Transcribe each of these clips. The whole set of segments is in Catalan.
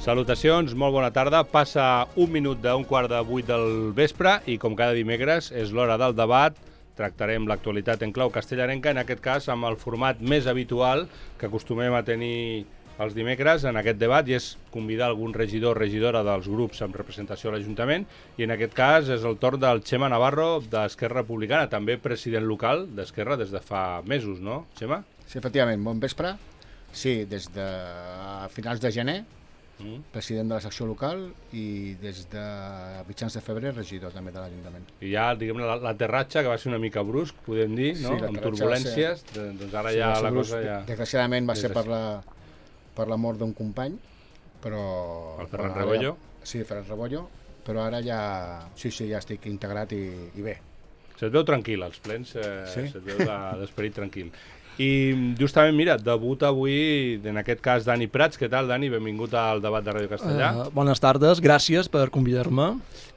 Salutacions, molt bona tarda. Passa un minut d'un quart de 8 del vespre i com cada dimecres és l'hora del debat. Tractarem l'actualitat en clau castellarenca, en aquest cas amb el format més habitual que acostumem a tenir els dimecres en aquest debat, i és convidar algun regidor o regidora dels grups amb representació a l'Ajuntament, i en aquest cas és el torn del Xema Navarro d'Esquerra Republicana, també president local d'Esquerra des de fa mesos, no, Xema? Sí, efectivament, bon vespre. Sí, des de finals de gener, president de la secció local, i des de mitjans de febrer regidor també de l'Ajuntament. I ja, diguem, l'aterratge, que va ser una mica brusc, podem dir, no? Sí, amb turbulències, doncs ara ja la cosa ja... Desgraciadament va ser per la mort d'un company, però... El Ferran Rebollo? Sí, Ferran Rebollo, però ara ja... Sí, ja estic integrat i bé. Se't veu tranquil, als plens, sí? Se't veu d'esperit tranquil. I justament, mira, debuta avui, en aquest cas, Dani Prats. Què tal, Dani? Benvingut al debat de Ràdio Castellà. Bones tardes, gràcies per convidar-me.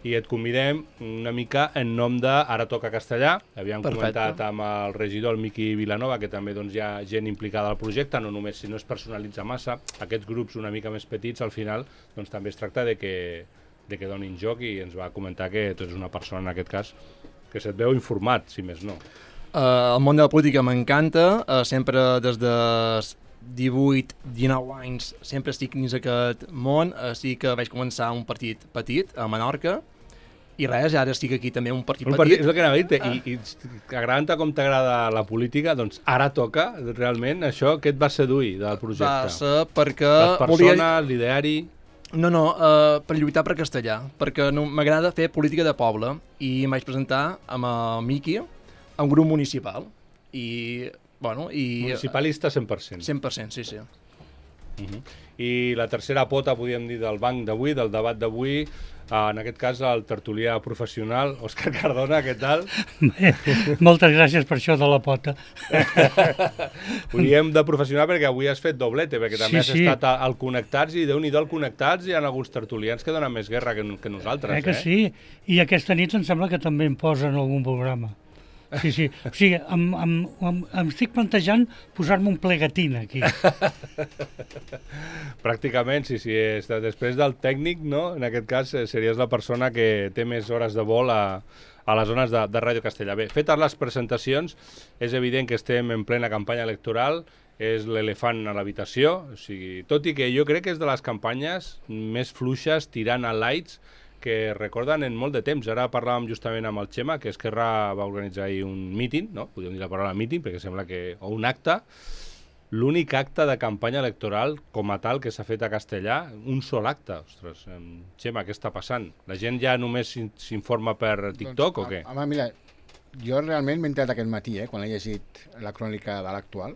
I et convidem una mica en nom de Ara Toca Castellà. Havíem comentat amb el regidor, el Miqui Vilanova, que també doncs, hi ha gent implicada al projecte, no només si no es personalitza massa. Aquests grups una mica més petits, al final, doncs, també es tracta de que donin joc, i ens va comentar que tu ets una persona, en aquest cas, que se't veu informat, si més no. El món de la política m'encanta, sempre des de 18-19 anys sempre estic dins aquest món, sí que vaig començar un partit petit a Menorca, i res, ara estic aquí també un partit petit. És el que anava a dir-te, i agradant-te com t'agrada la política, doncs ara toca, realment, això, què et va seduir del projecte? Va ser perquè... Les persones, l'ideari... No, per lluitar per castellà, perquè m'agrada fer política de poble, i em vaig presentar amb el Miqui a un grup municipal, i, bueno... Municipalista 100%. 100%, sí. I la tercera pota, podríem dir, del banc d'avui, del debat d'avui, en aquest cas el tertulià professional, Òscar Cardona, què tal? Bé, moltes gràcies per això de la pota. Ho diem de professional perquè avui has fet doblete, perquè també has estat al Connectats, i Déu-n'hi-do al Connectats, hi ha alguns tertulians que donen més guerra que nosaltres. Que sí, i aquesta nit em sembla que també em posen algun programa. Sí. O sigui, em estic plantejant posar-me un plegatín aquí. Pràcticament, sí. Després del tècnic, no? En aquest cas, series la persona que té més hores de vol a les zones de Ràdio Castellà. Bé, fetes les presentacions, és evident que estem en plena campanya electoral, és l'elefant a l'habitació, o sigui, tot i que jo crec que és de les campanyes més fluixes, tirant a lights, que recorden en molt de temps. Ara parlàvem justament amb el Xema, que Esquerra va organitzar ahir un míting, no? Podríem dir la paraula míting, perquè sembla que... o un acte, l'únic acte de campanya electoral com a tal que s'ha fet a Castellà, un sol acte. Ostres, Xema, què està passant? La gent ja només s'informa per TikTok o què? Home, mira, jo realment m'he entrat aquest matí, quan he llegit la crònica de l'actual,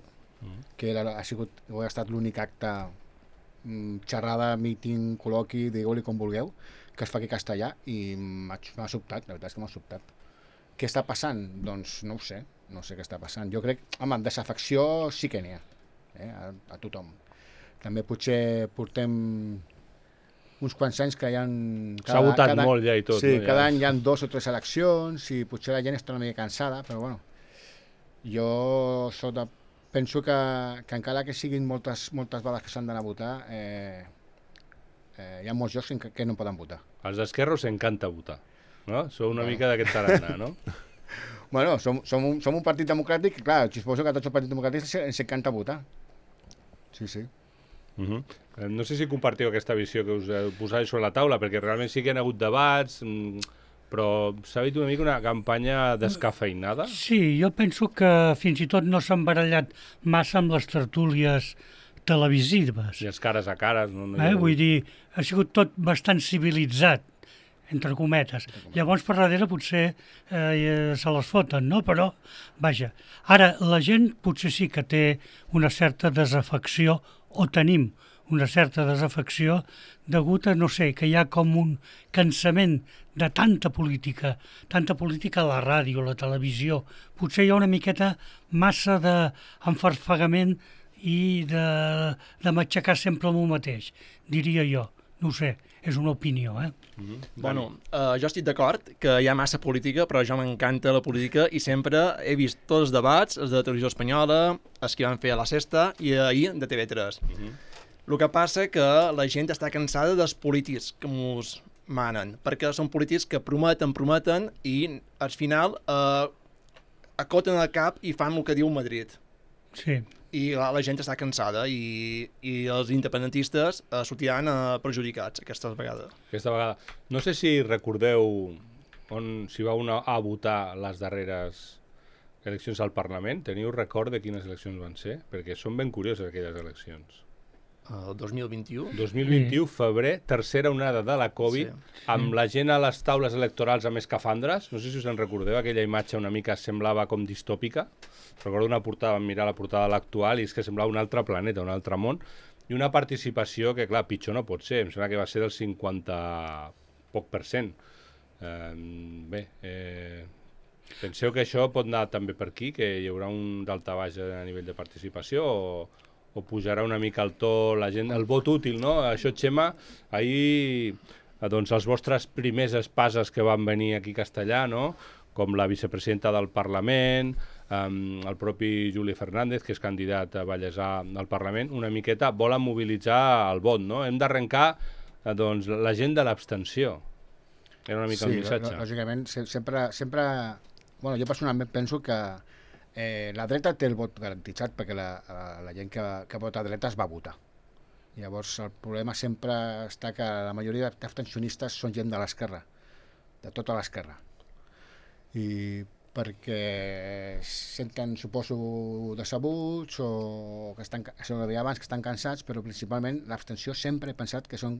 que ha estat l'únic acte, xerrada, míting, col·loqui, digueu-li com vulgueu, que es fa aquí a Castellà, i m'ha sobtat, la veritat és que m'ha sobtat. Què està passant? Doncs no ho sé, no sé què està passant. Jo crec, home, desafecció sí que n'hi ha, a tothom. També potser portem uns quants anys que hi ha... S'ha votat molt ja i tot. Sí, cada any hi ha 2 o 3 eleccions, i potser la gent està una mica cansada, però bueno, jo penso que encara que siguin moltes vegades que s'han d'anar a votar, hi ha molts llocs que no poden votar. Els d'Esquerra us encanta votar, no? Sou una mica d'aquest tarannà, no? Bueno, som un partit democràtic, clar, suposo que a tots els partits democràtics ens encanta votar. Sí. No sé si compartiu aquesta visió que us posàveu sobre la taula, perquè realment sí que hi ha hagut debats, però s'ha vist una mica una campanya descafeinada? Sí, jo penso que fins i tot no s'han barallat massa amb les tertúlies televisives. I els cares a cares. Vull dir, ha sigut tot bastant civilitzat, entre cometes. Llavors, per darrere, potser se les foten, no? Però, vaja, ara, la gent potser sí que té una certa desafecció, o tenim una certa desafecció, degut a, no sé, que hi ha com un cansament de tanta política a la ràdio, a la televisió. Potser hi ha una miqueta massa d'enfarfegament i de matxacar sempre el mateix, diria jo. No ho sé, és una opinió, Bueno, jo estic d'acord que hi ha massa política, però jo m'encanta la política i sempre he vist tots els debats, els de Televisió Espanyola, els que van fer a la Sexta i ahir de TV3. El que passa que la gent està cansada dels polítics que ens manen, perquè són polítics que prometen i al final acoten el cap i fan el que diu Madrid. Sí. I la gent està cansada i els independentistes sortiran perjudicats aquesta vegada. No sé si recordeu si vau anar a votar les darreres eleccions al Parlament. Teniu record de quines eleccions van ser? Perquè són ben curioses aquelles eleccions. El 2021? 2021, febrer, tercera onada de la Covid, amb la gent a les taules electorals amb escafandres. No sé si us en recordeu, aquella imatge una mica semblava com distòpica. Recordo una portada, vam mirar la portada de l'actual i és que semblava un altre planeta, un altre món, i una participació que, clar, pitjor no pot ser. Em sembla que va ser del 50 poc %. Penseu que això pot anar també per aquí, que hi haurà un daltabaix a nivell de participació o pujarà una mica el to, la gent, el vot útil, no? Això, Xema, ahir, doncs, els vostres primers espases que van venir aquí a Castellà, no? Com la vicepresidenta del Parlament, el propi Juli Fernández, que és candidat a Vallèsà al Parlament, una miqueta volen mobilitzar el vot, no? Hem d'arrencar, doncs, la gent de l'abstenció. Era una mica el missatge. Lògicament, sempre... Bueno, jo personalment penso que la dreta té el vot garantitzat perquè la gent que vota a dreta es va votar. Llavors el problema sempre està que la majoria d'abstencionistes són gent de l'esquerra, de tota l'esquerra. I perquè senten, suposo, decebuts o que estan, això ho deia abans, que estan cansats, però principalment l'abstenció sempre he pensat que són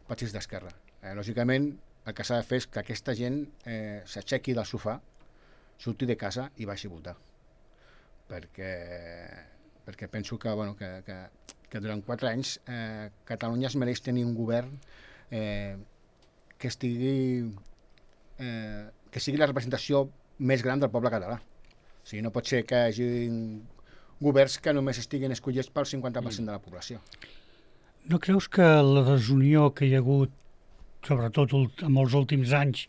partits d'esquerra. Lògicament el que s'ha de fer és que aquesta gent s'aixequi del sofà, surti de casa i vagi a votar. Perquè penso que durant 4 anys Catalunya es mereix tenir un govern que sigui la representació més gran del poble català. O sigui, no pot ser que hi hagi governs que només estiguin escollits pel 50% de la població. No creus que la desunió que hi ha hagut, sobretot en els últims anys,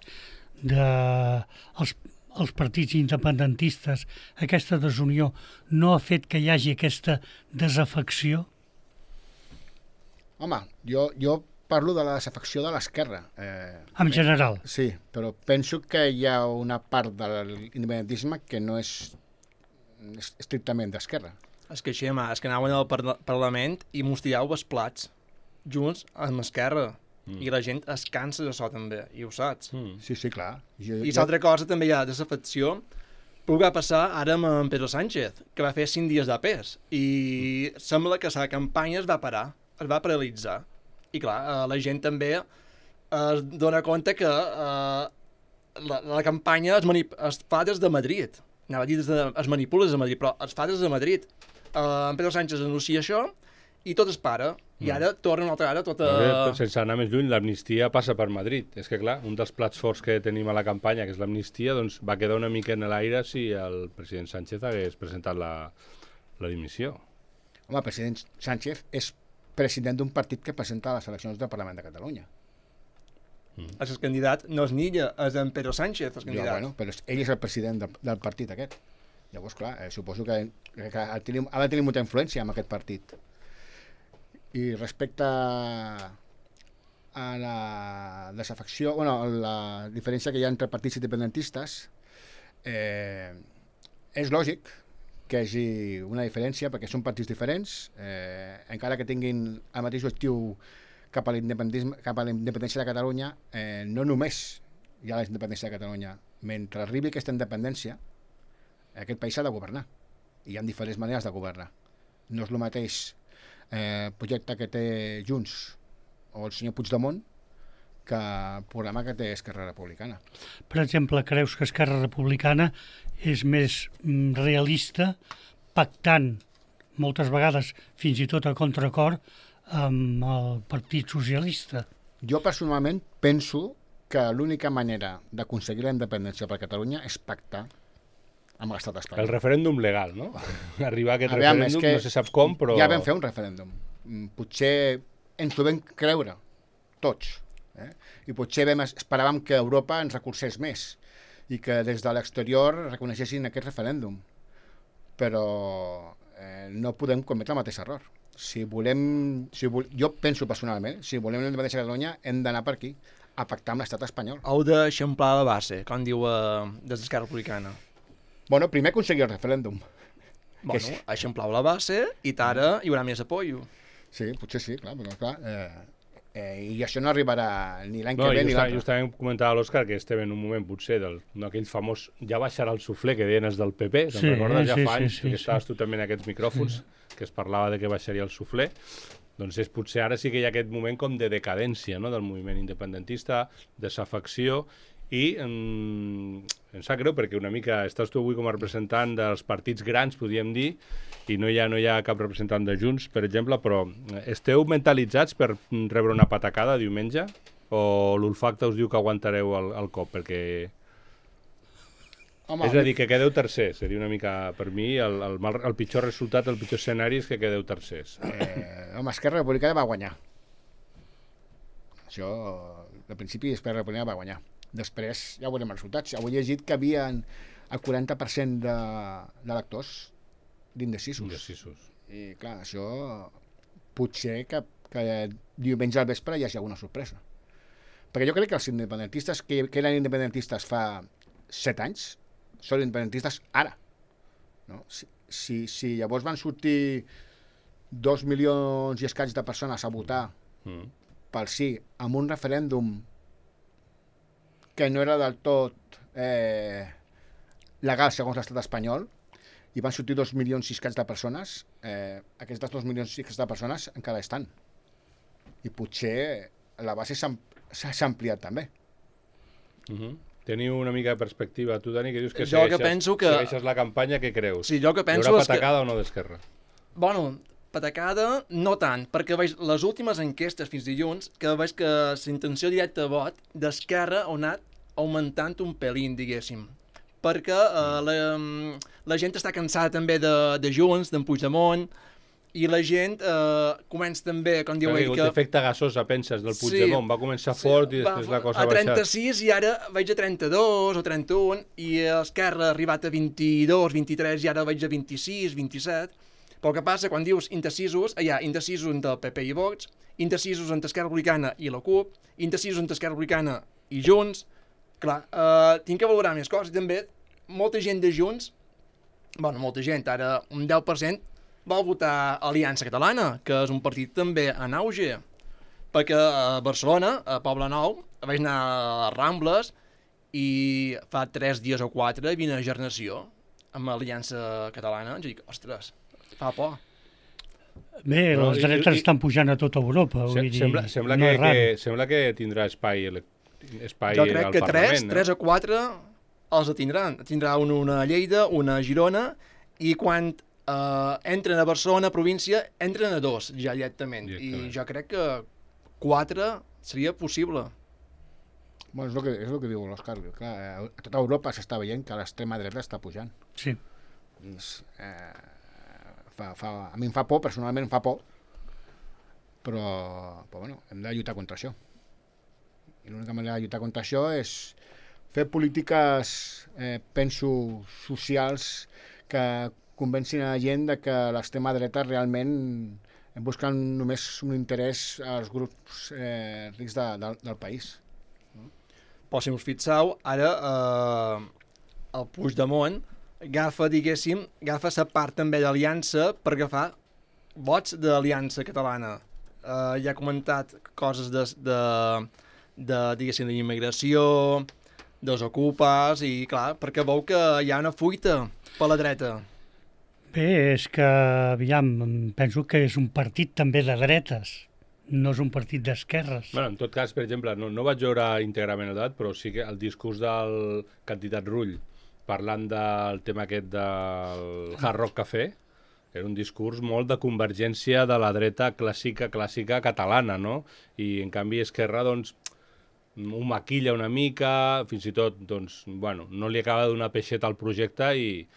els partits independentistes, aquesta desunió no ha fet que hi hagi aquesta desafecció? Home, jo parlo de la desafecció de l'esquerra. En general? Sí, però penso que hi ha una part de l'independentisme que no és estrictament d'esquerra. És que, Xema, és que anaven al Parlament i mos tirau els plats junts amb Esquerra. I la gent es cansa d'això també, i ho saps. Sí, clar. I l'altra cosa també hi ha desafecció, però què va passar ara amb en Pedro Sánchez, que va fer 5 dies d'APEs, i sembla que la campanya es va parar, es va paralitzar. I clar, la gent també es dona compte que la campanya es fa des de Madrid. Anava a dir es manipula des de Madrid, però es fa des de Madrid. En Pedro Sánchez anuncia això i tot es para. I ara torna una altra ara tota... Sense anar més lluny, l'amnistia passa per Madrid. És que, clar, un dels plats forts que tenim a la campanya, que és l'amnistia, doncs va quedar una mica en l'aire si el president Sánchez hagués presentat la dimissió. Home, el president Sánchez és president d'un partit que presenta les eleccions del Parlament de Catalunya. El candidat no és Nilla, és en Pedro Sánchez, el candidat. Bueno, però ell és el president del partit aquest. Llavors, clar, suposo que ha de tenir molta influència en aquest partit. I respecte a la desafecció, la diferència que hi ha entre partits independentistes, és lògic que hi hagi una diferència perquè són partits diferents, encara que tinguin el mateix objectiu cap a l'independència de Catalunya, no només hi ha la independència de Catalunya. Mentre arribi aquesta independència, aquest país s'ha de governar. I hi ha diferents maneres de governar. No és el mateix projecte que té Junts o el senyor Puigdemont que el programa que té Esquerra Republicana. Per exemple, creus que Esquerra Republicana és més realista pactant moltes vegades fins i tot a contracor amb el Partit Socialista? Jo personalment penso que l'única manera d'aconseguir la independència per Catalunya és pactar amb l'estat espanyol. El referèndum legal, no? Arribar a aquest referèndum, no se sap com, però... Ja vam fer un referèndum. Potser ens ho vam creure, tots. I potser esperàvem que Europa ens recolzés més i que des de l'exterior reconeguessin aquest referèndum. Però no podem cometre el mateix error. jo penso personalment, si volem la independència de Catalunya, hem d'anar per aquí, a pactar amb l'estat espanyol. Heu d'eixamplar la base, com diu des d'Esquerra Republicana. Bueno, primer aconseguir el referèndum. Bueno, eixamplau la base i ara hi haurà més apoio. Sí, potser sí, clar, però clar... I això no arribarà ni l'any que ve ni l'altre. Justament comentava l'Òscar que estem en un moment potser d'aquell famós ja baixarà el suflé que deien els del PP, te'n recordes? Ja fa anys que estaves tu també en aquests micròfons que es parlava de que baixaria el suflé. Doncs potser ara sí que hi ha aquest moment com de decadència, no?, del moviment independentista, desafecció, i em sap greu perquè una mica estàs tu avui com a representant dels partits grans, podríem dir, i no hi ha cap representant de Junts, per exemple, però esteu mentalitzats per rebre una patacada diumenge? O l'olfacte us diu que aguantareu el cop? Perquè... Home, és a dir, que quedeu tercers. Seria una mica, per mi, el pitjor resultat, el pitjor escenari és que quedeu tercers. Home, Esquerra Republicana va guanyar. Això, de principi, Esquerra Republicana va guanyar. Després ja veurem els resultats. Avui he llegit que havia el 40% d'electors d'indecisos. I clar, això potser que diumenge al vespre hi hagi alguna sorpresa. Perquè jo crec que els independentistes que eren independentistes fa 7 anys són independentistes ara. No? Si llavors van sortir 2 milions i escaig de persones a votar pel sí amb un referèndum que no era del tot legal segons l'estat espanyol, i van sortir 2 milions i escaig de persones, aquestes 2 milions i escaig de persones encara estan. I potser la base s'ha ampliat també. Teniu una mica de perspectiva. Tu, Dani, que dius que segueixes la campanya, què creus? Sí, jo que penso hi haurà patacada o no d'Esquerra? Bueno, patacada no tant, perquè veig les últimes enquestes fins dilluns, que veig que la intenció directa de vot d'Esquerra ha anat augmentant un pelín, diguéssim. Perquè la gent està cansada també de Junts, d'en Puigdemont, i la gent comença també, com diu ell, que... L'efecte gasosa, penses, del Puigdemont, va començar fort i després la cosa ha baixat. A 36 i ara veig a 32 o 31, i Esquerra ha arribat a 22, 23 i ara veig a 26, 27. Però el que passa, quan dius indecisos, hi ha indecisos entre el PP i Vox, indecisos entre Esquerra Republicana i la CUP, indecisos entre Esquerra Republicana i Junts. Clar, tinc que valorar més coses. I també molta gent de Junts, bueno, molta gent, ara un 10%, va votar Aliança Catalana, que és un partit també en auge. Perquè a Barcelona, a Poble Nou, vaig anar a les Rambles i fa 3 dies o 4 hi havia una gernació amb Aliança Catalana. Ens dic, ostres, fa por. Bé, les dretes estan pujant a tota Europa. Sembla que tindrà espai al Parlament. Jo crec que 3 o 4 els tindran. Tindrà una a Lleida, una a Girona, i quan entren a Barcelona, província, entren a 2 ja directament. I jo crec que 4 seria possible. Bueno, és el que diu l'Òscar. A tota Europa s'està veient que l'extrema dreta està pujant. Sí. A mi em fa por, personalment em fa por, però bueno, hem de lluitar contra això. I l'única manera de lluitar contra això és fer polítiques, penso, socials que convencin a la gent de que l'extrema dreta realment busquen només un interès als grups rics del país. Però si us fixeu, ara el Puigdemont agafa la part també d'Aliança per agafar vots d'Aliança Catalana. Ja ha comentat coses diguéssim, d'immigració, dels ocupes, i clar, perquè veu que hi ha una fuita per la dreta. Bé, és que, aviam, penso que és un partit també de dretes, no és un partit d'esquerres. Bueno, en tot cas, per exemple, no vaig veure íntegrament el debat, però sí que el discurs del candidat Rull parlant del tema aquest del Hard Rock Café, era un discurs molt de convergència de la dreta clàssica catalana, no? I, en canvi, Esquerra, doncs, ho maquilla una mica, fins i tot, doncs, bueno, no li acaba de donar peixeta al projecte i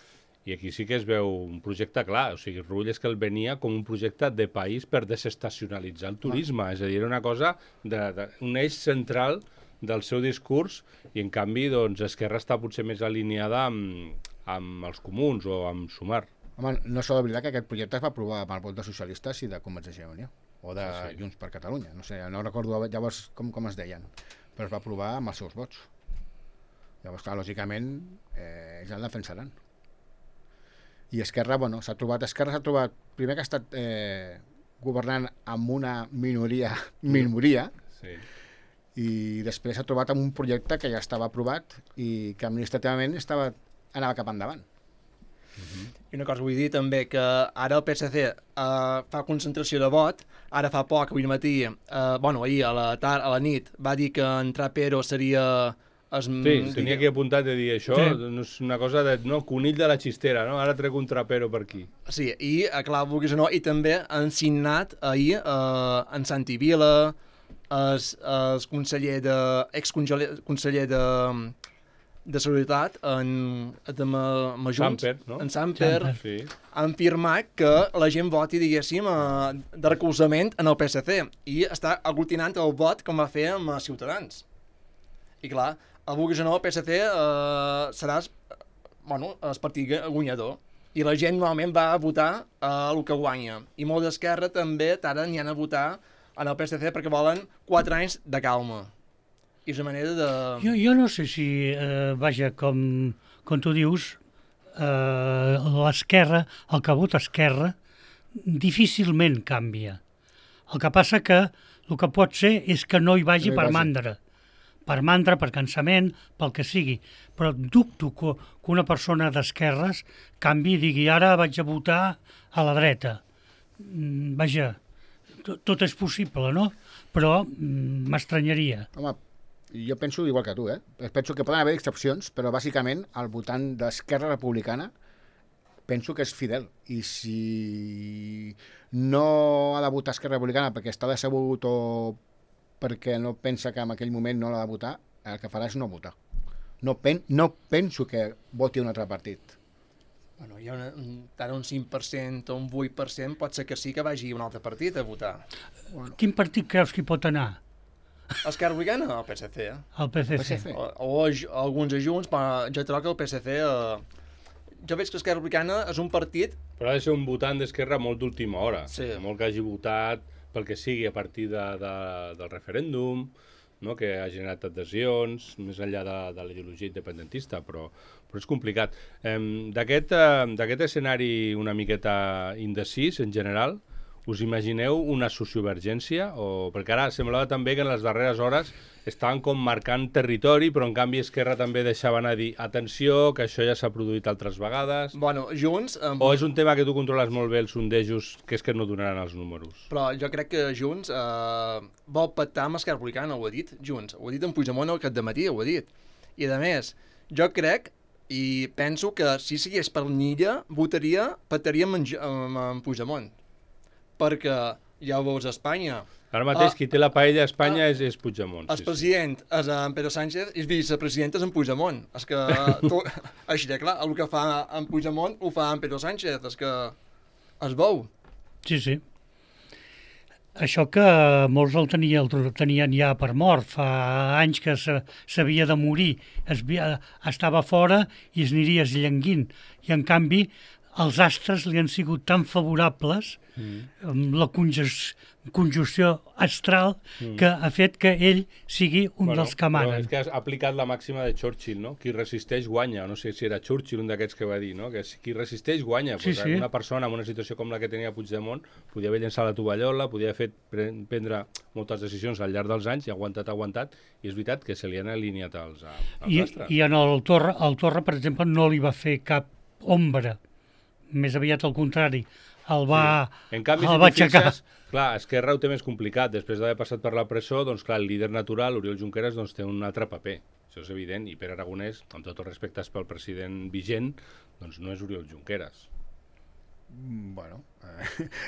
aquí sí que es veu un projecte clar. O sigui, Rull és que el venia com un projecte de país per desestacionalitzar el turisme. És a dir, era una cosa, un eix central del seu discurs, i en canvi doncs, Esquerra està potser més alineada amb els comuns o amb Sumar. Home, no s'ha d'oblidar que aquest projecte es va aprovar amb el vot de socialistes i de Convergència i Unió, o de Junts per Catalunya. No sé, no recordo llavors com es deien, però es va aprovar amb els seus vots. Llavors, clar, lògicament, ells el defensaran. I Esquerra, bueno, s'ha trobat, primer que ha estat governant amb una minoria, Sí. i després s'ha trobat amb un projecte que ja estava aprovat i que administrativament anava cap endavant. I una cosa vull dir també, que ara el PSC fa concentració de vot, ara fa poc, avui matí, ahir a la nit, va dir que en Trapero seria... Tenia aquí apuntat de dir això, no és una cosa de conill de la xistera, no? Ara trec un Trapero per aquí. Sí, i clar, vulguis o no, i també han signat ahir en Santi Vila, el exconseller de Seguretat, Samper, no? En Samper, sí. Han firmat que la gent voti, diguéssim, de recolzament en el PSC, i està aglutinant el vot com va fer amb Ciutadans. I clar, vulguis o no, el PSC serà el partit guanyador, i la gent normalment va a votar el que guanya, i molt d'Esquerra també ara n'hi han a votar en el PSC perquè volen 4 anys de calma. I és una manera de... Jo no sé si, com tu dius, l'esquerra, el que vota Esquerra, difícilment canvia. El que passa que el que pot ser és que no hi vagi per mandra. Per mandra, per cansament, pel que sigui. Però dubto que una persona d'esquerres canvi i digui ara vaig a votar a la dreta. Vaja, tot és possible, no? Però m'estranyaria. Home, jo penso igual que tu, penso que poden haver excepcions, però bàsicament el votant d'Esquerra Republicana penso que és fidel, i si no ha de votar Esquerra Republicana perquè està decebut o perquè no pensa que en aquell moment no l'ha de votar, el que farà és no votar. No penso que voti un altre partit. Bueno, hi ha tant un 5% o un 8%, pot ser que sí que vagi un altre partit a votar. Quin partit creus que hi pot anar? Esquerra Republicana o el PSC? El PSC. O alguns Junts, però jo trobo que el PSC... Jo veig que Esquerra Republicana és un partit... Però ha de ser un votant d'Esquerra molt d'última hora. Sí. Molt que hagi votat pel que sigui a partir del referèndum, no? Que ha generat adhesions, més enllà de la ideologia independentista, però és complicat. D'aquest escenari una miqueta indecis, en general, us imagineu una sociovergència? Perquè ara semblava també que en les darreres hores estaven com marcant territori, però en canvi Esquerra també deixava anar a dir atenció, que això ja s'ha produït altres vegades. Bueno, Junts... O és un tema que tu controles molt bé els sondejos, que és que no donaran els números? Però jo crec que Junts vol pactar amb Esquerra Republicana, ho ha dit Junts. Ho ha dit en Puigdemont aquest dematí, ho ha dit. I a més, jo crec i penso que si sigués per l'Illa, pactaria amb Puigdemont. Perquè ja ho veus a Espanya. Ara mateix qui té la paella a Espanya és Puigdemont. El president és en Pedro Sánchez i el vicepresident és en Puigdemont. És que, així de clar, el que fa en Puigdemont ho fa en Pedro Sánchez. És que es veu. Sí, sí. Això que molts el tenien ja per mort, fa anys que s'havia de morir, estava fora i es aniria esllenguint. I en canvi els astres li han sigut tan favorables amb la conjunció astral que ha fet que ell sigui un dels que manen. És que has aplicat la màxima de Churchill, no? Qui resisteix guanya. No sé si era Churchill un d'aquests que va dir, no? Que qui resisteix guanya. Sí, sí. Una persona en una situació com la que tenia Puigdemont podia haver llençat la tovallola, podia haver fet prendre moltes decisions al llarg dels anys i ha aguantat, i és veritat que se li han alineat els astres. I en el Torra, per exemple, no li va fer cap ombra. Més aviat al contrari. El va aixecar. Clar, Esquerra ho té més complicat. Després d'haver passat per la presó, doncs clar, el líder natural, Oriol Junqueras, doncs té un altre paper. Això és evident. I Pere Aragonès, amb tot el respecte pel president vigent, doncs no és Oriol Junqueras. Bueno,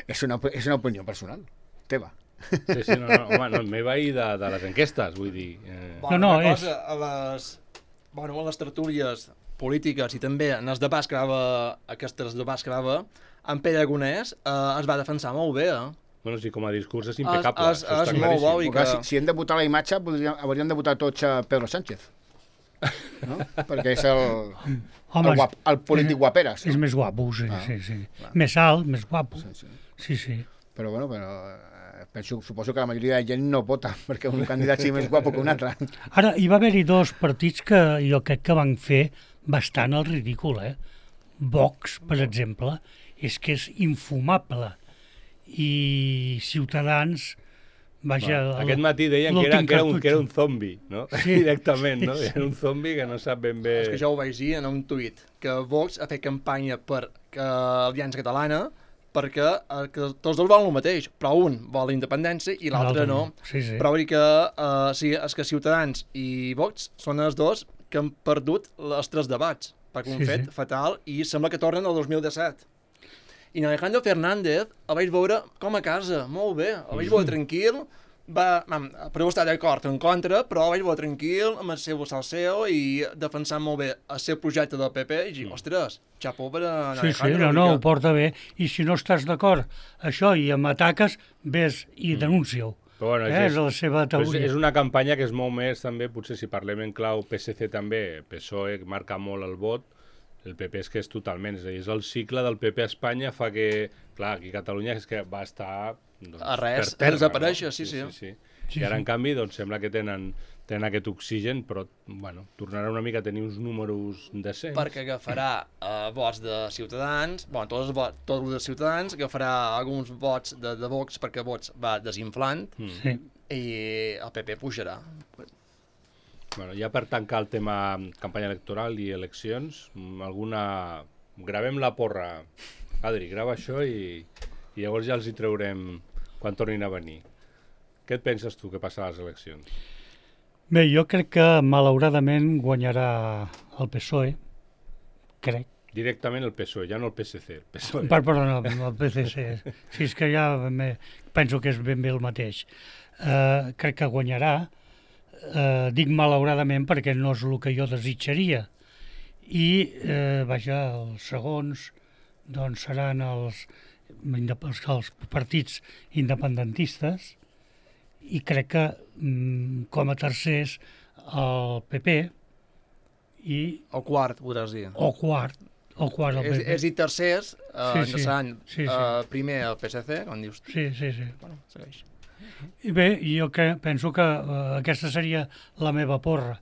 és una opinió personal, teva. Sí, home, meva i de les enquestes, vull dir. A les tertúlies polítiques i també en els debats que va en Pere Aragonès es va defensar molt bé, Bueno, sí, com a discurs és impecable. És molt bo. Si hem de votar la imatge, hauríem de votar tots a Pedro Sánchez. no? Perquè és el Home, polític guaperes. és més guapo, sí, Ah, sí. clar. Més alt, més guapo. Sí. Sí. Però suposo que la majoria de gent no vota perquè un candidat sigui més guapo que un altre. Ara, hi va haver-hi 2 partits que jo crec que van fer bastant el ridícul, Vox, per exemple, és que és infumable. I Ciutadans, vaja... Aquest matí deien que era un zombi, no? Sí. Directament, no? Era un zombi que no sap ben bé... És que jo ho vaig dir en un tuit, que Vox ha fet campanya per Aliança Catalana perquè que tots dos volen el mateix, però un vol la independència i l'altre no. Sí. Però vull dir que, és que Ciutadans i Vox són els dos que han perdut els 3 debats, perquè ho han fet fatal i sembla que tornen al 2017. I en Alejandro Fernández el vaig veure com a casa, molt bé, el vaig veure tranquil, però està d'acord en contra, però el vaig veure tranquil, amb el seu salseo i defensant molt bé el seu projecte del PP i dic, ostres, xapó per a Alejandro. Sí, ho porta bé. I si no estàs d'acord això i m'ataques, ves i denuncia-ho. Però bueno, és la seva teoria. És una campanya que és molt més, també, potser si parlem en clau PSC també, PSOE marca molt el vot, el PP és que és totalment, és a dir, és el cicle del PP a Espanya fa que, clar, aquí a Catalunya és que va estar a res, per terra, desaparèixer, no? Sí. I ara, en canvi, doncs, sembla que tenen aquest oxigen, però, bueno, tornarà una mica a tenir uns números decents. Perquè agafarà vots de Ciutadans, tots els de Ciutadans, agafarà alguns vots de Vox perquè Vox va desinflant i el PP pujarà. Bueno, ja per tancar el tema campanya electoral i eleccions, gravem la porra. Adri, grava això i llavors ja els hi traurem quan tornin a venir. Què et penses tu que passarà a les eleccions? Bé, jo crec que malauradament guanyarà el PSOE, crec. Directament el PSOE, ja no el PSC, el PSOE. Perdona, el PSC. Sí, és que ja penso que és ben bé el mateix. Crec que guanyarà. Dic malauradament perquè no és el que jo desitjaria. I, els segons doncs seran els partits independentistes i crec que com a tercers el PP i... O quart, podràs dir. O quart el PP. És dir, tercers, seran sí. primer el PSC, com dius tu. Sí. Bueno, segueix. I bé, jo penso que aquesta seria la meva porra,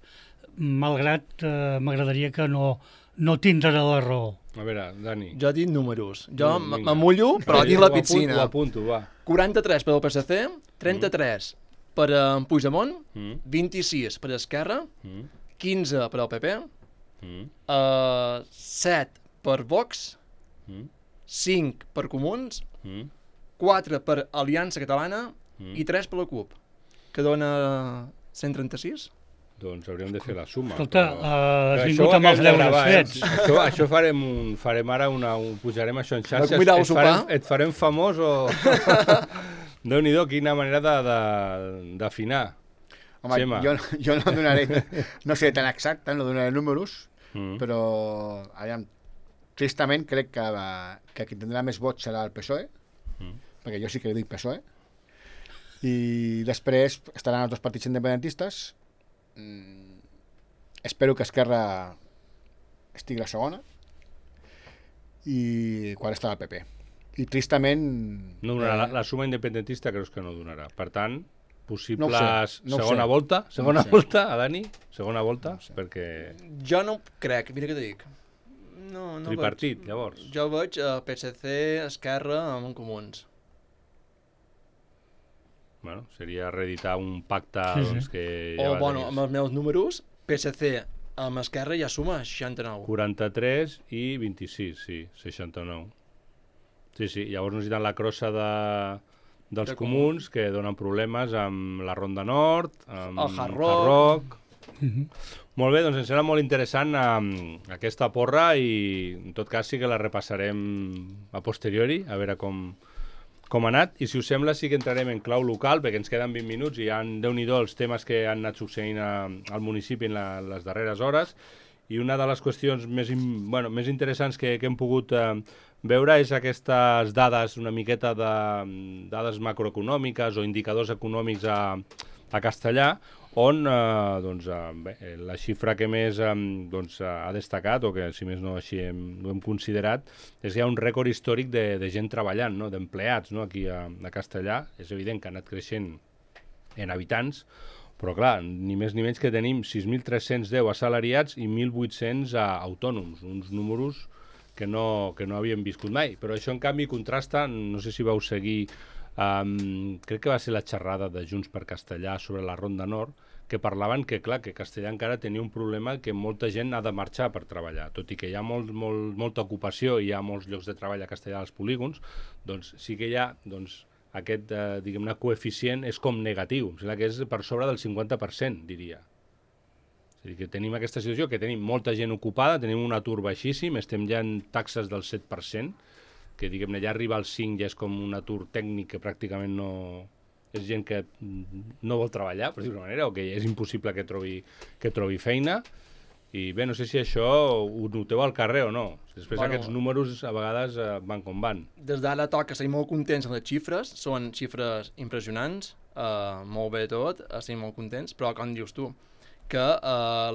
malgrat m'agradaria que no tindre la raó. A veure, Dani. Jo dic números. Jo m'amullo, però dic la piscina. Ho apunto, va. 43 per al PSC, 33 per a Puigdemont, 26 per a Esquerra, 15 per al PP, 7 per Vox, 5 per Comuns, 4 per Aliança Catalana i 3 per la CUP, que dona 136. Doncs hauríem de fer la suma. Escolta, has vingut amb els deures fets. Això farem ara pujarem això en xarxes. Et farem famós o... Déu-n'hi-do, quina manera d'afinar. Home, jo no donaré, no sé tan exacte, no donaré números, però tristament crec que qui tindrà més vots serà el PSOE, perquè jo sí que dic PSOE, i després estaran els 2 partits independentistes. Espero que Esquerra estigui a la segona i quan estarà el PP. I tristament... No donarà, la suma independentista creus que no donarà. Per tant, possibles segona volta? Segona volta, a Dani? Segona volta? Perquè... Jo no crec, mira què te dic. No tripartit, llavors. Jo veig PSC, Esquerra amb Comuns. Bueno, seria reeditar un pacte doncs, que ja o, bueno, amb els meus números, PSC amb Esquerra ja suma 69. 43 i 26, sí, 69. Sí, llavors necessiten la crossa dels comuns, que donen problemes amb la Ronda Nord, amb el Hard Rock. Molt bé, doncs ens serà molt interessant aquesta porra i en tot cas sí que la repassarem a posteriori, a veure com ha anat, i si us sembla sí que entrarem en clau local, perquè ens queden 20 minuts i hi ha, Déu-n'hi-do, els temes que han anat succeint al municipi en les darreres hores, i una de les qüestions més interessants que hem pogut veure és aquestes dades, una miqueta de dades macroeconòmiques o indicadors econòmics a Castellà, on la xifra que més ha destacat, o que si més no així ho hem considerat, és que hi ha un rècord històric de gent treballant, no? D'empleats, no? Aquí a Castellà. És evident que ha anat creixent en habitants, però clar, ni més ni menys que tenim 6.310 assalariats i 1.800 autònoms, uns números que no havíem viscut mai. Però això, en canvi, contrasta, no sé si vau seguir, crec que va ser la xerrada de Junts per Castellà sobre la Ronda Nord, que parlaven que, clar, que Castellà encara tenia un problema que molta gent ha de marxar per treballar. Tot i que hi ha molta ocupació i hi ha molts llocs de treball a Castellà als polígons, doncs sí que hi ha aquest, diguem-ne, coeficient és com negatiu. Em sembla que és per sobre del 50%, diria. És a dir, que tenim aquesta situació, que tenim molta gent ocupada, tenim un atur baixíssim, estem ja en taxes del 7%, que, diguem-ne, ja arriba al 5%, ja és com un atur tècnic que pràcticament no... És gent que no vol treballar, per dir-ho d'una manera, o que és impossible que trobi feina. I bé, no sé si això ho noteu al carrer o no. Després aquests números a vegades van com van. Des d'ara toca ser molt contents amb les xifres, són xifres impressionants, molt bé tot, estem molt contents, però com dius tu, que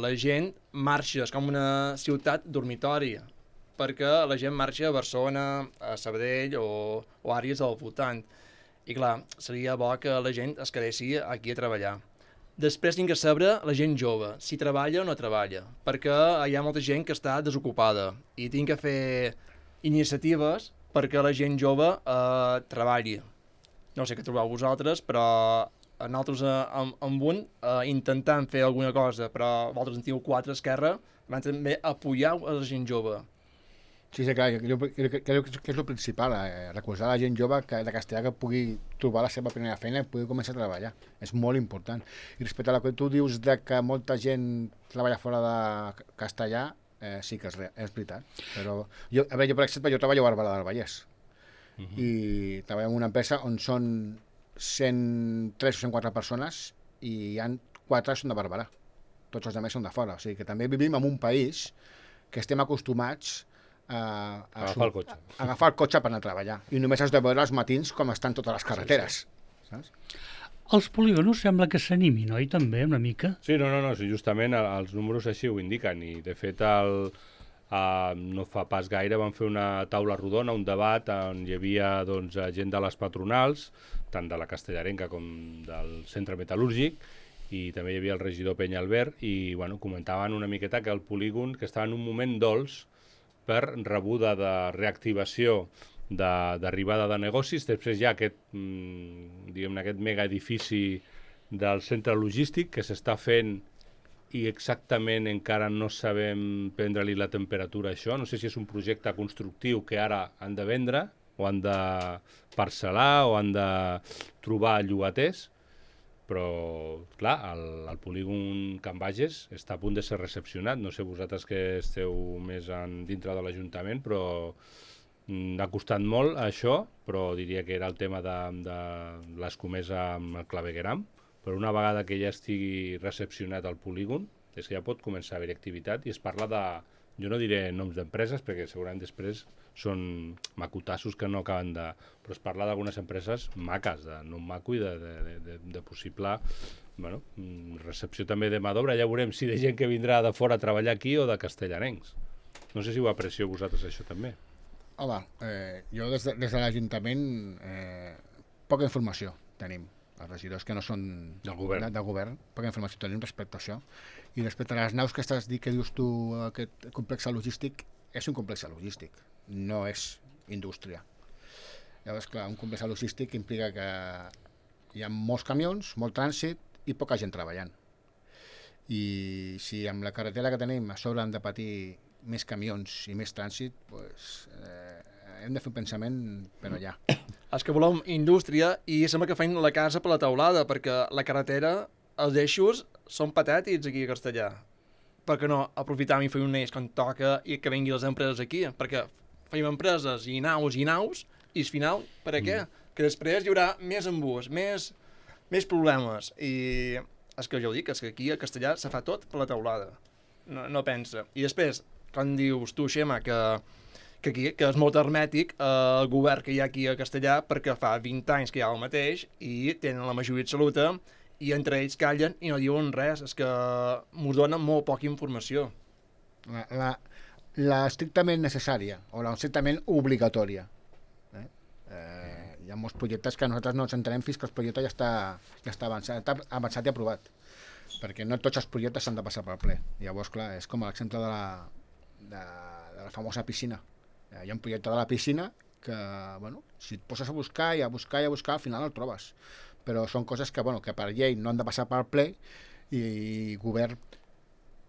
la gent marxa, és com una ciutat dormitori, perquè la gent marxa a Barcelona, a Sabadell o àrees al voltant. I clar, seria bo que la gent es quedessi aquí a treballar. Després tinc que saber la gent jove, si treballa o no treballa, perquè hi ha molta gent que està desocupada i tinc que fer iniciatives perquè la gent jove treballi. No sé què trobeu vosaltres, però nosaltres amb un intentant fer alguna cosa, però vosaltres en teniu 4 a Esquerra, van també apoyar a la gent jove. Sí, clar, crec que és el principal, recolzar la gent jove de Castellà que pugui trobar la seva primera feina i pugui començar a treballar. És molt important. I respecte a la que tu dius de que molta gent treballa fora de Castellà, sí que és veritat. Però jo, per exemple, jo treballo a Barberà del Vallès i treballo en una empresa on són 103 o 104 persones i hi ha 4 que són de Barberà. Tots els altres són de fora. O sigui que també vivim en un país que estem acostumats a agafar el cotxe per anar a treballar. I només has de veure els matins com estan totes les carreteres. Sí. Saps? Els polígons sembla que s'animin, oi, també, una mica? Sí, no, sí, justament els números així ho indiquen. I, de fet, no fa pas gaire van fer una taula rodona, un debat on hi havia gent de les patronals, tant de la castellarenca com del centre metal·lúrgic, i també hi havia el regidor Penyalbert, i comentaven una miqueta que el polígon, que estava en un moment dolç, per rebuda de reactivació d'arribada de negocis. Després hi ha aquest mega edifici del centre logístic que s'està fent i exactament encara no sabem prendre-li la temperatura a això. No sé si és un projecte constructiu que ara han de vendre o han de parcel·lar o han de trobar llogaters, però, clar, el polígon Can Bages està a punt de ser recepcionat. No sé vosaltres que esteu més dintre de l'Ajuntament, però ha costat molt això, però diria que era el tema de l'escomesa amb el clavegueram. Però una vegada que ja estigui recepcionat el polígon, és que ja pot començar a haver activitat i es parla de... Jo no diré noms d'empreses, perquè segurament després són macotassos que no acaben de... Però es parla d'algunes empreses maques, de nom maco i de possible recepció també de mà d'obra. Ja veurem si de gent que vindrà de fora a treballar aquí o de castellarencs. No sé si ho aprecio vosaltres, això també. Home, jo des de l'Ajuntament poca informació tenim. Els regidors que no són del govern, poca informació tenim respecte a això. I respecte a les naus que estàs dient, que dius tu, aquest complex logístic, és un complex logístic, no és indústria. Llavors, clar, un complex logístic implica que hi ha molts camions, molt trànsit i poca gent treballant. I si amb la carretera que tenim a sobre hem de patir més camions i més trànsit, doncs, hem de fer un pensament per allà. És que volem indústria i sembla que feien la casa per la teulada, perquè la carretera, els eixos, són patètics aquí a Castellà. Per què no aprofitar i fer un eix quan toca i que vinguin les empreses aquí? Perquè feim empreses i naus, i al final, per a què? Que després hi haurà més embús, més problemes. I és que jo ho dic, és que aquí a Castellà se fa tot per la teulada. No pensa. I després, quan dius tu, Xema, que és molt hermètic el govern que hi ha aquí a Castellà perquè fa 20 anys que hi ha el mateix i tenen la majoria absoluta i entre ells callen i no diuen res. És que m'ho donen molt poca informació. La estrictament necessària o la estrictament obligatòria. Hi ha molts projectes que nosaltres no ens entenem fins que el projecte ja està avançat i aprovat, perquè no tots els projectes s'han de passar pel ple. Llavors, clar, és com l'exemple de la famosa piscina. Hi ha un projecte de la piscina que, bueno, si et poses a buscar i a buscar, al final el trobes. Però són coses que, bueno, que per llei no han de passar pel ple i govern...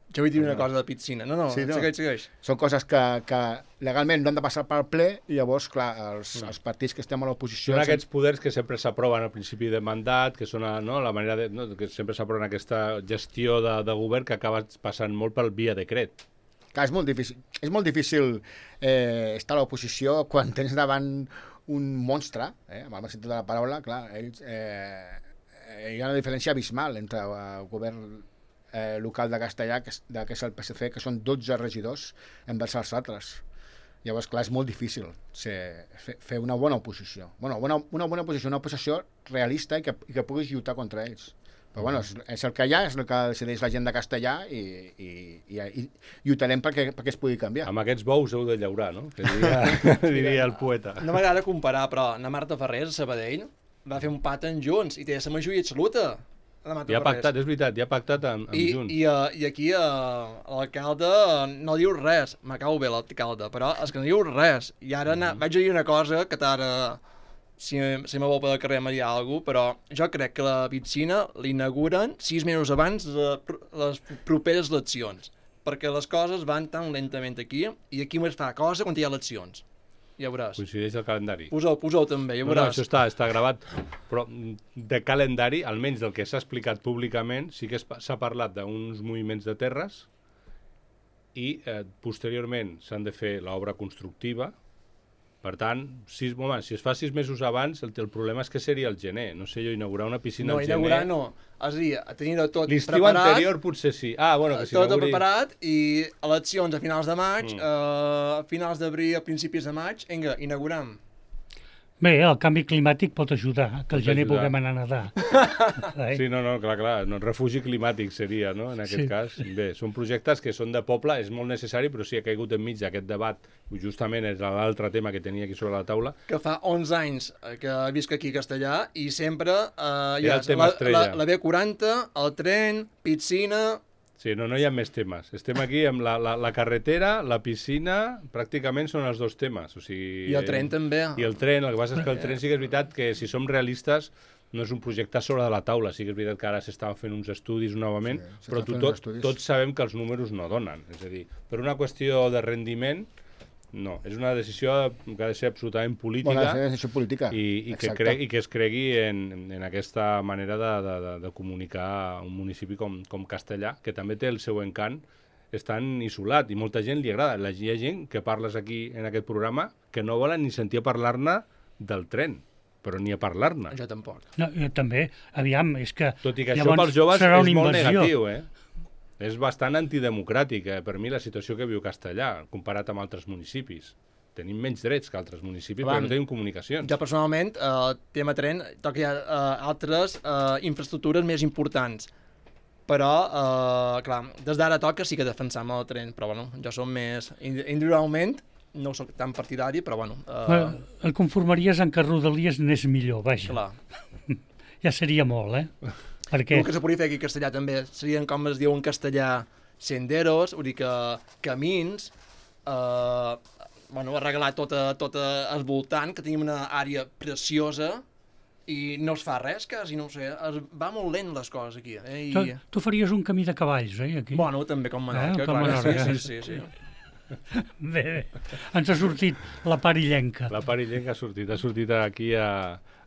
Jo vull dir una cosa de piscina. No, sí, segueix. Són coses que legalment no han de passar pel ple i llavors, clar, els partits que estem a l'oposició... Són aquests poders que sempre s'aproven al principi de mandat, que són la manera de... No, que sempre s'aproven aquesta gestió de govern que acaba passant molt pel via decret. Clar, és molt difícil estar a l'oposició quan tens davant un monstre, amb el sentit de la paraula, clar, ells... hi ha una diferència abismal entre el govern local de Castellà, que és el PSC, que són 12 regidors envers els altres. Llavors, clar, és molt difícil fer una bona oposició. Una bona oposició, una oposició realista i que puguis lluitar contra ells. Però bueno, és el que hi ha, és el que decideix la gent de Castellà i lluitarem perquè es pugui canviar. Amb aquests bous heu de llaurar, no? Que diria el poeta. No m'agrada comparar, però la Marta Ferrés, a Sabadell, va fer un paten junts i té la majoria absoluta. Ja ha pactat, és veritat, ja ha pactat amb Junts. I aquí l'alcalde no diu res. Me cau bé l'alcalde, però és que no diu res. I ara vaig a dir una cosa que t'ara, si me vol pel carrer me dirà alguna cosa, però jo crec que la piscina l'inauguren 6 mesos abans de les properes eleccions, perquè les coses van tan lentament aquí, i aquí només fa cosa quan hi ha eleccions. Ja veuràs. Coincideix el calendari. Posa'l també, ja veuràs. No, això està gravat, però de calendari, almenys del que s'ha explicat públicament, sí que s'ha parlat d'uns moviments de terres i posteriorment s'han de fer l'obra constructiva. Per tant, si es fa 6 mesos abans, el problema és que seria el gener. No sé jo, inaugurar una piscina al gener... No, inaugurar no. És a dir, tenir-ho tot preparat... L'estiu anterior potser sí. Que tot preparat i eleccions a finals de maig, a finals d'abril, a principis de maig, vinga, inaugurem. Bé, el canvi climàtic pot ajudar, que el gener puguem anar a nedar. Sí, no, clar, no, refugi climàtic seria, no?, en aquest cas. Bé, són projectes que són de poble, és molt necessari, però sí ha caigut enmig d'aquest debat, justament és l'altre tema que tenia aquí sobre la taula. Que fa 11 anys que visc aquí a Castellà i sempre hi ha el tema estrella. La B40, el tren, piscina... Sí, no hi ha més temes. Estem aquí amb la carretera, la piscina, pràcticament són els dos temes. O sigui, I el tren també. I el tren, el que passa és que el tren sí que és veritat que si som realistes no és un projecte sobre de la taula, sí que és veritat que ara s'estan fent uns estudis novament, però tots sabem que els números no donen. És a dir, per una qüestió de rendiment, no, és una decisió que ha de ser absolutament política, una decisió política. I que es cregui en aquesta manera de comunicar un municipi com Castellà, que també té el seu encant, és tan isolat i molta gent li agrada. Hi ha gent que parles aquí en aquest programa que no volen ni sentir a parlar-ne del tren, però ni a parlar-ne. Jo tampoc. No, jo també. Aviam, és que... Tot i que això pels joves és molt negatiu, És bastant antidemocràtic, per mi, la situació que viu Castellà, comparat amb altres municipis. Tenim menys drets que altres municipis, però no tenim comunicacions. Jo, personalment, tema tren, toca hi ha altres infraestructures més importants. Però, clar, des d'ara toca sí que defensam el tren, però, bueno, jo som més... Individualment, no soc tan partidari, però, bueno... Et conformaries en que Rodalies n'és millor, vaja. Clar. Ja seria molt, Perquè... El que se podria fer aquí a Castellà també serien, com es diu en castellà, senderos, vull dir que camins, arreglar tot el voltant, que tenim una àrea preciosa i no es fa res, quasi, no ho sé, va molt lent les coses aquí. Tu faries un camí de cavalls, aquí? Bueno, també com Menorca, com Menorca. Sí. Bé, ens ha sortit la part illenca. La part illenca ha sortit aquí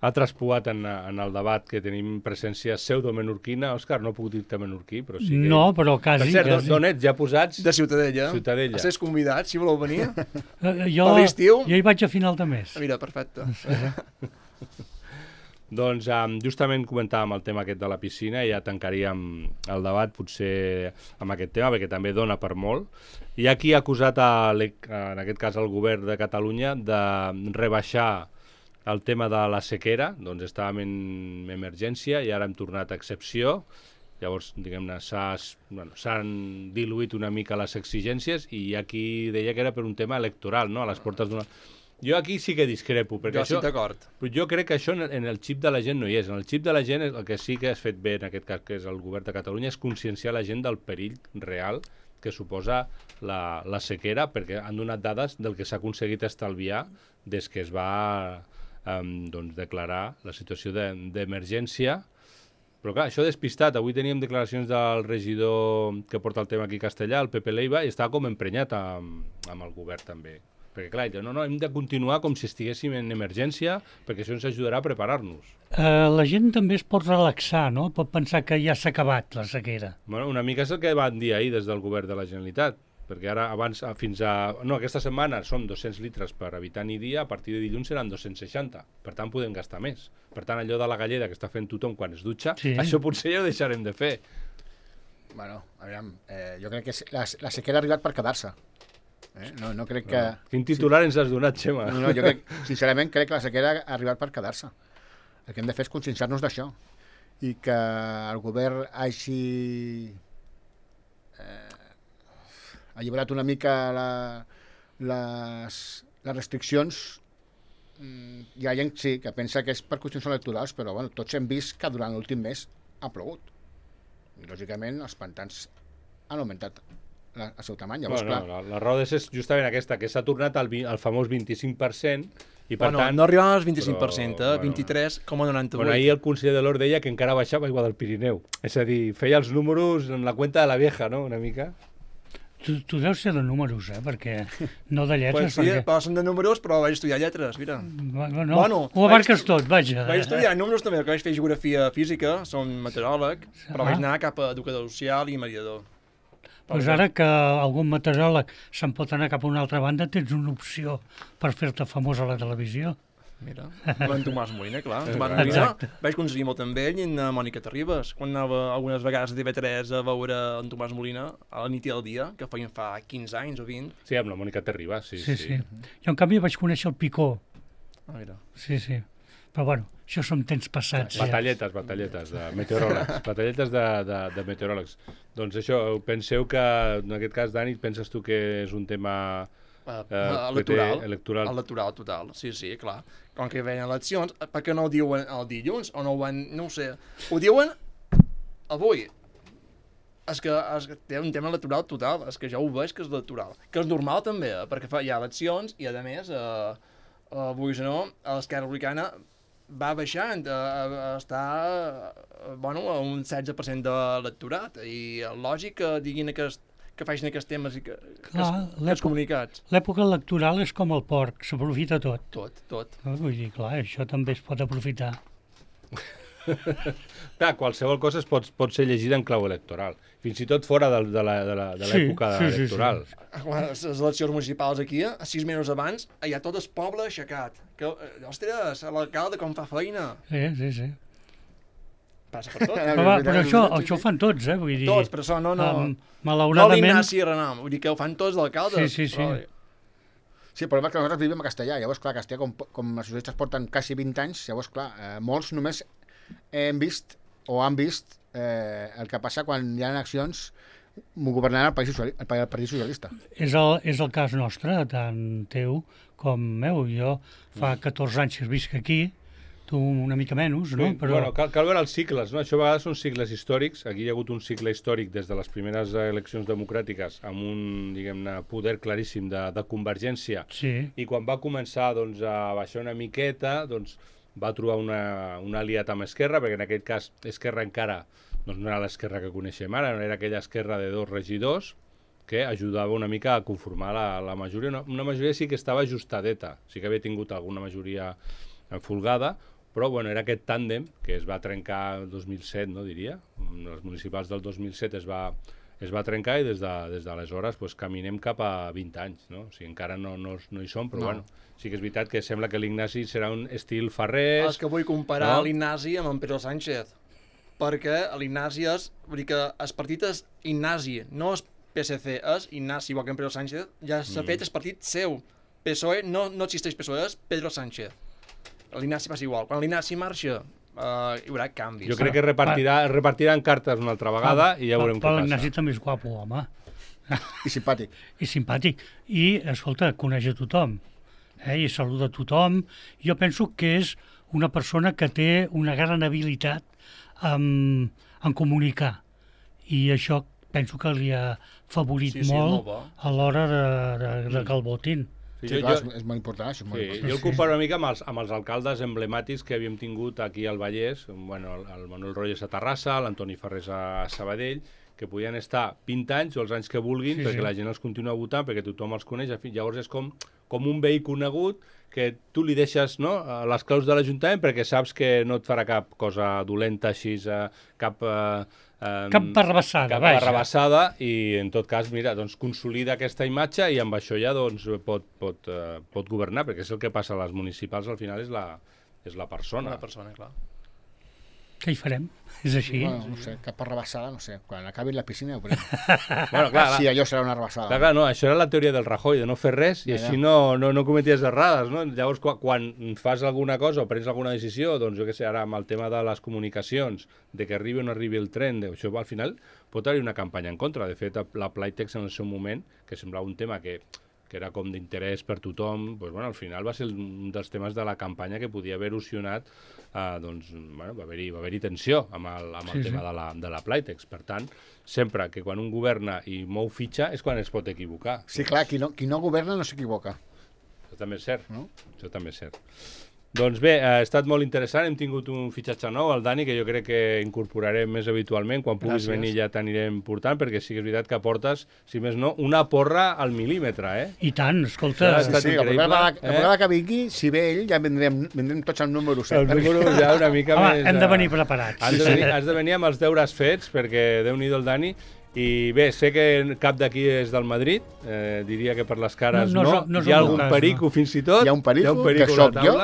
ha traspuat en el debat que tenim presència pseudo-menorquina. Òscar, no puc dir-te menorquí, però sí que... No, però quasi. Per cert, d'on ets? Ja posats? De Ciutadella. Ciutadella. Estàs convidat, si voleu venir. Jo hi vaig a final de mes. Mira, perfecte. Doncs justament comentàvem el tema aquest de la piscina i ja tancaríem el debat potser amb aquest tema, perquè també dona per molt. Hi ha qui ha acusat, en aquest cas, el govern de Catalunya de rebaixar el tema de la sequera, doncs estàvem en emergència i ara hem tornat a excepció. Llavors, diguem-ne, s'han diluït una mica les exigències i hi ha qui deia que era per un tema electoral, no? A les portes d'una... Jo aquí sí que discrepo, perquè Jo estic d'acord. jo crec que això en el xip de la gent no hi és. En el xip de la gent el que sí que has fet bé, en aquest cas, que és el govern de Catalunya, és conscienciar la gent del perill real que suposa la sequera, perquè han donat dades del que s'ha aconseguit estalviar des que es va declarar la situació d'emergència. Però clar, això despistat. Avui teníem declaracions del regidor que porta el tema aquí a Castellà, el Pepe Leiva, i estava com emprenyat amb el govern també. Perquè clar, no, hem de continuar com si estiguéssim en emergència, perquè això ens ajudarà a preparar-nos. La gent també es pot relaxar, no? Pot pensar que ja s'ha acabat la sequera. Bueno, una mica és el que van dir ahir des del govern de la Generalitat, perquè ara abans, aquesta setmana són 200 litres per habitant i dia, a partir de dilluns seran 260, per tant podem gastar més. Per tant, allò de la galleda que està fent tothom quan es dutxa, sí. Això potser ja ho deixarem de fer. Bueno, aviam, jo crec que la sequera ha arribat per quedar-se. No crec que... Quin titular ens has donat, Xema? No, jo sincerament crec que la sequera ha arribat per quedar-se. El que hem de fer és conscienciar-nos d'això. I que el govern hagi alliberat una mica les restriccions. Hi ha gent, sí, que pensa que és per qüestions electorals, però bueno, tots hem vist que durant l'últim mes ha plogut. I, lògicament, els pantans han augmentat el seu tamany. Llavors, la raó és justament aquesta, que s'ha tornat al famós 25% i per tant... No arribàvem al 25%, 23,98%. Bueno, ahir el conseller de l'Hort deia que encara baixava aigua del Pirineu. És a dir, feia els números en la cuenta de la vieja, no?, una mica. Tu deus ser de números, perquè no de lletres. Pues sí, perquè... són de números, però vaig estudiar lletres, mira. Bueno, ho abarques tot, vaja. Vaig estudiar números també, que vaig fer geografia física, som meteoròleg, però vaig anar cap a educador social i mediador. Doncs ara que algun meteoròleg se'n pot anar cap a una altra banda, tens una opció per fer-te famós a la televisió. Mira, en Tomàs Molina, clar. Tomàs Molina, vaig coincidir molt amb ell i en Mònica Terribas, quan anava algunes vegades a TV3 a veure en Tomàs Molina a la nit i al dia, que feien fa 15 anys o 20. Sí, amb la Mònica Terribas, sí. Jo, en canvi, vaig conèixer el Picó. Mira. Sí. Però bueno, això són temps passats. Batalletes de meteoròlegs. Batalletes de meteoròlegs. Doncs això, penseu que, en aquest cas, Dani, penses tu que és un tema electoral? Electoral total, sí, clar. Com que hi veien eleccions, per què no ho diuen el dilluns? O no ho van, no ho sé. Ho diuen avui. És que té un tema electoral total. És que ja ho veig que és electoral. Que és normal també, perquè hi ha eleccions i, a més, avui no, l'Esquerra Republicana va baixant a estar a un 16% de l'electorat i lògic que diguin que facin aquests temes i que els comunicats. L'època electoral és com el porc, s'aprofita tot. Tot. Vull dir, clar, això també es pot aprofitar. Clar, qualsevol cosa pot ser llegida en clau electoral, fins i tot fora de l'època electoral. Les eleccions municipals aquí, 6 mesos abans, hi ha tot el poble aixecat. Ostres, l'alcalde com fa feina. Sí. Passa per tot. Però això ho fan tots, vull dir... Tots, però això no... Malauradament... No l'Ignasi Renam, vull dir que ho fan tots l'alcalde. Sí. Sí, el problema és que nosaltres vivim a Castellà. Llavors, clar, a Castellà, com els socialistes porten quasi 20 anys, llavors, clar, molts només han vist el que passa quan hi ha accions governant el Partit Socialista. És el cas nostre, tant teu com meu. Jo fa 14 anys que visc aquí, tu una mica menys, no? Però... Bueno, cal veure els cicles, no? Això a vegades són cicles històrics. Aquí hi ha hagut un cicle històric des de les primeres eleccions democràtiques amb un, diguem-ne, poder claríssim de convergència. Sí. I quan va començar doncs, a baixar una miqueta, doncs, va trobar un aliat amb Esquerra, perquè en aquest cas Esquerra encara doncs, no era l'Esquerra que coneixem ara, no era aquella Esquerra de 2 regidors que ajudava una mica a conformar la majoria. Una majoria sí que estava ajustadeta, sí que havia tingut alguna majoria folgada, però bueno, era aquest tàndem que es va trencar el 2007, no diria? Les municipals del 2007 es va trencar i des d'aleshores pues, caminem cap a 20 anys, no? O sigui, encara no hi som, però bueno, sí que és veritat que sembla que l'Ignasi serà un estil Ferrés... És que vull comparar l'Ignasi amb en Pedro Sánchez, perquè l'Ignasi és... Vull dir que el partit és Ignasi, no és PSC, és Ignasi, igual que en Pedro Sánchez, ja s'ha fet el partit seu. PSOE, no existeix PSOE, és Pedro Sánchez. l'Ignasi passa igual. Quan l'Ignasi marxa, hi haurà canvis. Jo crec que repartiran cartes una altra vegada i ja veurem què Però passa. l'Ignasi també és guapo, home. I simpàtic. I simpàtic. I, escolta, coneix a tothom. I saluda a tothom. Jo penso que és una persona que té una gran habilitat en comunicar. I això penso que li ha favorit molt a l'hora de que el votin. Sí, clar, és molt important, això és molt important. Jo el comparo una mica amb els alcaldes emblemàtics que havíem tingut aquí al Vallès, bueno, el Manuel Roges a Terrassa, l'Antoni Ferrés a Sabadell, que podien estar 20 anys o els anys que vulguin perquè la gent els continua votant, perquè tothom els coneix. Llavors és com un veí conegut que tu li deixes les claus de l'Ajuntament perquè saps que no et farà cap cosa dolenta així, cap barrabassada, cap barrabassada, i en tot cas, mira, doncs consolida aquesta imatge i amb això ja doncs pot governar, perquè és el que passa a les municipals, al final és la persona. Una persona, clar. Què hi farem? És així? Bueno, no sé, cap rebassada, no sé. Quan acabi la piscina ho veurem. Bueno, clar, sí, allò serà una rebassada. Clar, no, això era la teoria del Rajoy, de no fer res i així no cometies errades, no? Llavors, quan fas alguna cosa o prens alguna decisió, doncs jo què sé, ara amb el tema de les comunicacions, de que arribi o no arribi el tren, això al final pot haver una campanya en contra. De fet, la Playtex en el seu moment, que semblava un tema que era com d'interès per tothom, doncs, bueno, al final va ser un dels temes de la campanya que podia haver erosionat, doncs, bueno, va haver-hi tensió amb el tema de la Playtex. Per tant, sempre que quan un governa i mou fitxa és quan es pot equivocar. Sí, clar, qui no governa no s'equivoca. Això també és cert, no? Això també és cert. Doncs bé, ha estat molt interessant, hem tingut un fitxatge nou, el Dani, que jo crec que incorporarem més habitualment, quan puguis venir ja t'anirem portant, perquè sí que és veritat que portes, si més no, una porra al mil·límetre, I tant, escolta... Sí, la vegada que vingui, si ve ell, ja vendrem tots el número 7. El número ja una mica més... Home, hem de venir preparats. Has de venir amb els deures fets, perquè Déu-n'hi-do el Dani. I bé, sé que cap d'aquí és del Madrid, diria que per les cares no. Hi ha algun perico fins i tot. Hi ha un perico que sóc jo.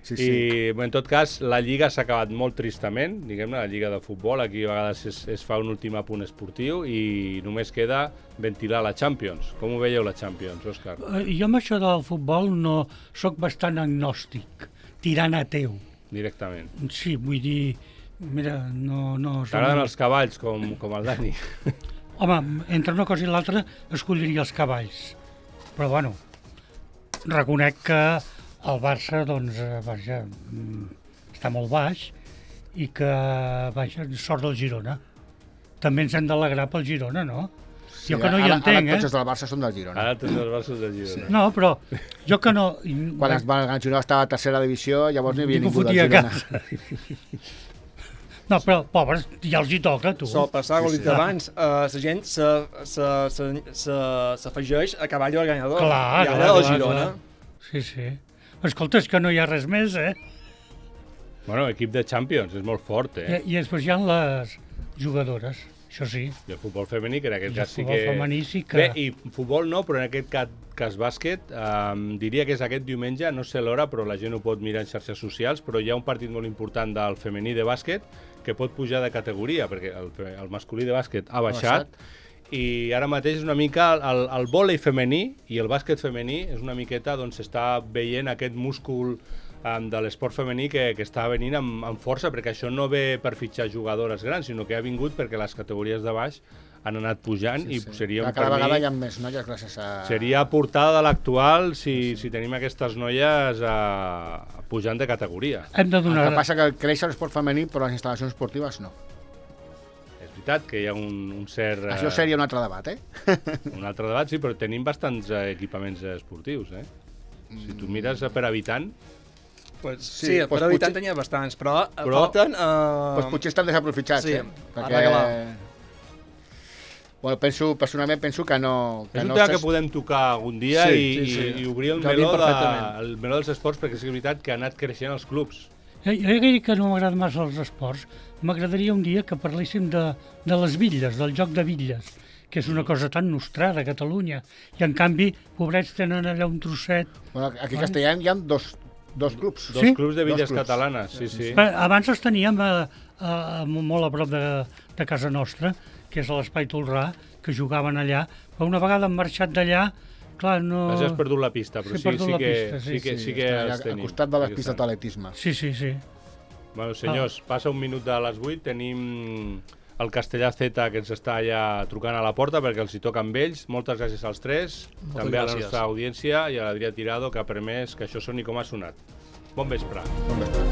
Sí. I en tot cas la Lliga s'ha acabat molt tristament, diguem-ne, la Lliga de futbol, aquí a vegades es fa un últim apunt esportiu i només queda ventilar la Champions. Com ho veieu la Champions, Òscar? Jo amb això del futbol no sóc bastant agnòstic, tirant ateu. Directament. Sí, vull dir, mira, no... T'agraden els cavalls com el Dani? Home, entre una cosa i l'altra escolliria els cavalls, però bueno, reconec que el Barça, doncs, vaja, està molt baix i que, vaja, sort del Girona. També ens hem d'alegrar pel Girona, no? Sí, jo que no hi entenc, Ara tots els del Barça són del Girona. Ara tots els Barça són del Girona. Sí. No, però jo que no... Quan el Girona estava a tercera divisió, llavors no hi havia ningú del Girona. No, però, pobres, ja els hi toca, tu. Sol passar, com he dit abans, la gent s'afegeix a cavall guanyador. Clar, i ara el Girona. Sí, sí. Escolta, és que no hi ha res més, Bueno, equip de Champions, és molt fort, I després hi ha les jugadores, això sí. I el futbol femení, que en aquest cas sí que... El futbol femení sí que... Bé, i futbol no, però en aquest cas bàsquet, diria que és aquest diumenge, no sé l'hora, però la gent ho pot mirar en xarxes socials, però hi ha un partit molt important del femení de bàsquet que pot pujar de categoria, perquè el masculí de bàsquet ha baixat. I ara mateix és una mica el vòlei femení i el bàsquet femení és una miqueta, doncs s'està veient aquest múscul de l'esport femení que està venint amb força, perquè això no ve per fitxar jugadores grans, sinó que ha vingut perquè les categories de baix han anat pujant i seria cada vegada hi ha més noies gràcies a... Seria portada de l'actual si tenim aquestes noies pujant de categoria. Hem de donar... El que passa que creix l'esport femení, però les instal·lacions esportives no. Que hi ha un cert... Això seria un altre debat, Un altre debat, sí, però tenim bastants equipaments esportius, Si tu mires per habitant... Pues, sí, per habitant tenia bastants, però falten... Doncs potser estan desaprofitats, sí, perquè... Bueno, personalment penso que no... És un tema que podem tocar algun dia i obrir el meló dels esports, perquè és veritat que ha anat creixent els clubs. Jo diria que no m'agrada massa els esports. M'agradaria un dia que parléssim de les bitlles, del joc de bitlles, que és una cosa tan nostrada a Catalunya. I en canvi, pobrets, tenen allà un trosset... Bueno, aquí a Castellà hi ha dos clubs. Dos clubs de bitlles catalanes, sí. Abans els teníem molt a prop de casa nostra, que és a l'Espai Tolrà, que jugaven allà, però una vegada han marxat d'allà clar, no... Has perdut la pista, però He perdut la pista, sí que està els al tenim. costat de les Sí que pistes estan. d'atletisme. Sí. Bueno, senyors, passa un minut de les 8, tenim el Castellà Z que ens està allà trucant a la porta perquè els hi toca amb ells. Moltes gràcies als tres, també a la gràcies. nostra audiència i a l'Adrià Tirado que ha permès que això soni com ha sonat. Bon vespre. Bon vespre.